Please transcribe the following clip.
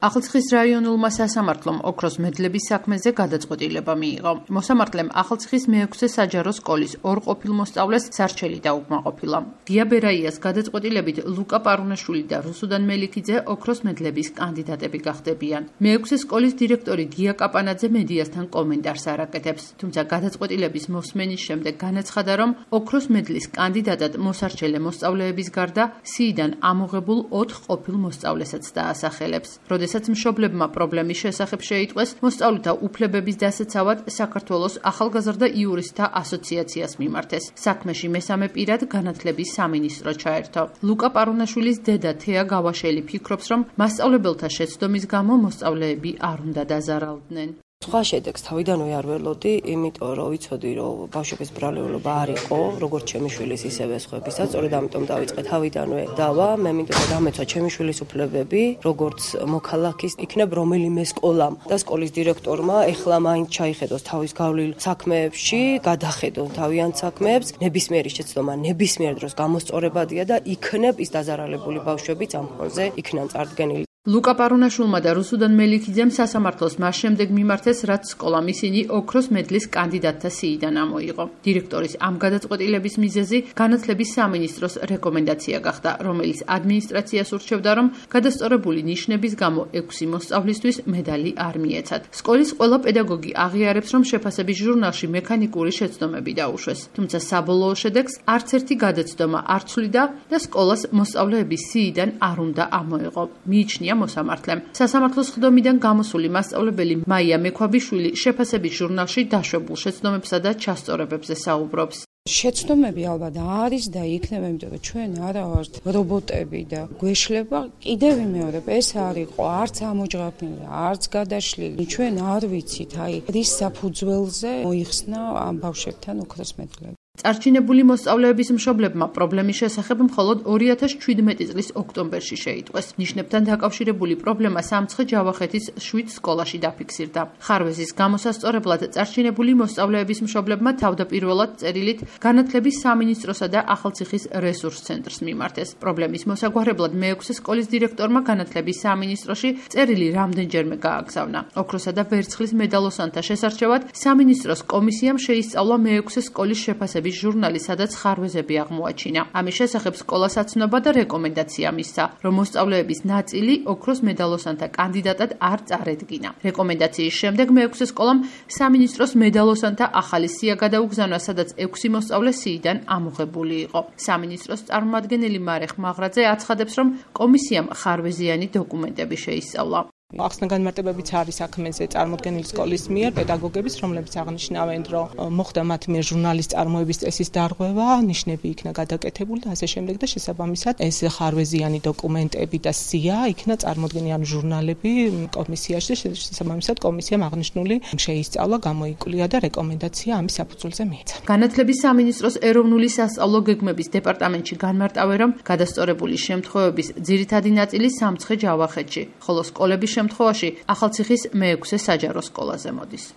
ახალციხის რაიონულმა სასამართლომ ოქროს მედლების საქმეზე გადაწყვეტილება მიიღო. მოსამართლემ ახალციხის მე-6 საჯარო სკოლის ორ ყოფილ მოსწავლეს სარჩელი დაუკმაყოფილა. გია ბერაიას გადაწყვეტილებით ლუკა პარუნაშვილი და რუსუდან მელიქიძე ოქროს მედლების კანდიდატები გახდებიან. მე-6 სკოლის დირექტორი გია კაპანაძე მედიასთან კომენტარს არ აკეთებს, თუმცა გადაწყვეტილების მოსმენის შემდეგ განაცხადა, რომ ოქროს მედლის კანდიდატად მოსარჩელე მოსწავლეების გარდა სიიდან ამოღებულ 4 ყოფილ მოსწავლესაც დაასახელებს. როდესაც მშობლებმა პრობლემის შესახებ შეიტყვეს, მოსწავლეთა უფლებების დასაცავად საქართველოს ახალგაზრდა იურისტთა ასოციაციას მიმართეს. საქმეში მესამე პირად განათლების სამინისტრო ჩაერთო. ლუკა პარუნაშვილის დედა თეა გავაშელი ფიქრობს, რომ მასწავლებელთა შეცდომის გამო მოსწავლეები არ უნდა დაზარალდნენ. სხვა შედეგს თავიდანვე არ ველოდი, იმიტომ რომ ვიცოდი, რომ ბავშვების ბრალეულობა არ იყო, როგორც ჩემი შვილის, ისევე სხვებისაც, სწორედ ამიტომ დავიწყე თავიდანვე დავა, მე მინდოდა დამეცვა ჩემი შვილის უფლებები, როგორც მოქალაქის, იქნებ რომელიმე სკოლამ და სკოლის დირექტორმა ეხლა მაინც ჩაიხედოს თავის გავლილ საქმეებში, გადახედონ თავიანთ საქმეებს, ნებისმიერი შეცდომა ნებისმიერ დროს გამოსწორებადია და იქნებ ის დაზარალებული ბავშვებიც ამ ფონზე იქნან წარდგენილი. ლუკა პარუნაშვილმა და რუსუდან მელიქიძემ სასამართლოს მას შემდეგ მიმართეს, რაც სკოლამ ისინი ოქროს მედლის კანდიდატთა სიიდან ამოიღო. დირექტორის ამ გადაწყვეტილების მიზეზი განათლების სამინისტროს რეკომენდაცია გახდა, რომელიც ადმინისტრაციას ურჩევდა, რომ გადასწორებული ნიშნების გამო 6 მოსწავლისთვის медаლი არ მიეცათ. სკოლის ყველა პედაგოგი აღიარებს, რომ შეფასების ჟურნალში მექანიკური შეცდომები დაუშვეს, თუმცა საბოლოო შედეგს არც ერთი გადაცდომა არ ცვლიდა და სკოლას მოსწავლეების სიიდან არ უნდა ამოეღო. მიიჩნია მოსამართლემ. სასამართლოს ხდომიდან გამოსული მასწავლებელი მაია მექვაბიშვილი შეფასების ჟურნალში დაშვებულ შეცდომებსა და ჩასწორებებზე საუბრობს. შეცდომები ალბათ არის და იქნება, იმიტომ რომ ჩვენ არა ვართ რობოტები და გვეშლება კიდევ ვიმეორებ, ეს არ იყო არც ამოჯღაფნილი, არც გადაშლილი. ჩვენ არ ვიცით, რის საფუძველზე მოიხსნა ამ ბავშვებთან ოქროს მედლები. წარჩინებული მოსწავლეების მშობლებმა პრობლემის შესახებ მხოლოდ 2017 წლის ოქტომბერში შეიტყვეს. ნიშნებთან დაკავშირებული პრობლემა სამცხე-ჯავახეთის 7 სკოლაში დაფიქსირდა. ხარვეზის გამოსასწორებლად წარჩინებული მოსწავლეების მშობლებმა თავდაპირველად წერილით განათლების სამინისტროსა და ახალციხის რესურს ცენტრს მიმართეს. პრობლემის მოსაგვარებლად მე-6 სკოლის დირექტორმა განათლების სამინისტროში წერილი რამდენჯერმე გააგზავნა. ოქროსა და ვერცხლის მედალოსანთა შესარჩევად სამინისტროს კომისიამ შეისწავლა მე-6 სკოლის შეფასების ჟურნალი, სადაც ხარვეზები აღმოაჩინა. ამის შესახებ სკოლას აცნობა და რეკომენდაცია მისცა, რომ მოსწავლეების ნაწილი ოქროს მედალოსანთა კანდიდატად არ წარედგინა. რეკომენდაციის შემდეგ მე-6 სკოლამ სამინისტროს მედალოსანთა ახალი სია გადაუგზავნა, სადაც 6 მოსწავლე სიიდან ამოღებული იყო. სამინისტროს წარმომადგენელი მარეხ მაღრაძე აცხადებს, რომ კომისიამ ხარვეზიანი დოკუმენტები შეისწავლა. ახსნა განმარტებებიც არის საქმეზე წარმოდგენილი სკოლის მიერ პედაგოგების, რომლებიც აღნიშნავენ, რომ მოხდა მათ მიერ ჟურნალის წარმოების წესის დარღვევა, ნიშნები იქნა გადაკეთებული და ასე შემდეგ და შესაბამისად ეს ხარვეზიანი დოკუმენტები და სია იქნა წარმოდგენილი ჟურნალები კომისიაში და შესაბამისად კომისიამ აღნიშნული შეისწავლა, გამოიკვლია და რეკომენდაცია ამის საფუძველზე მიეცა. განათლების სამინისტროს ეროვნული სასწავლო გეგმების დეპარტამენტში განმარტავენ, რომ გადასწორებული შემთხვევების ძირითადი ნაწილი სამცხე-ჯავახეთში, ხოლო სკოლების შემთხვევაში ახალციხის მე-6 საჯარო სკოლაზე მოდის.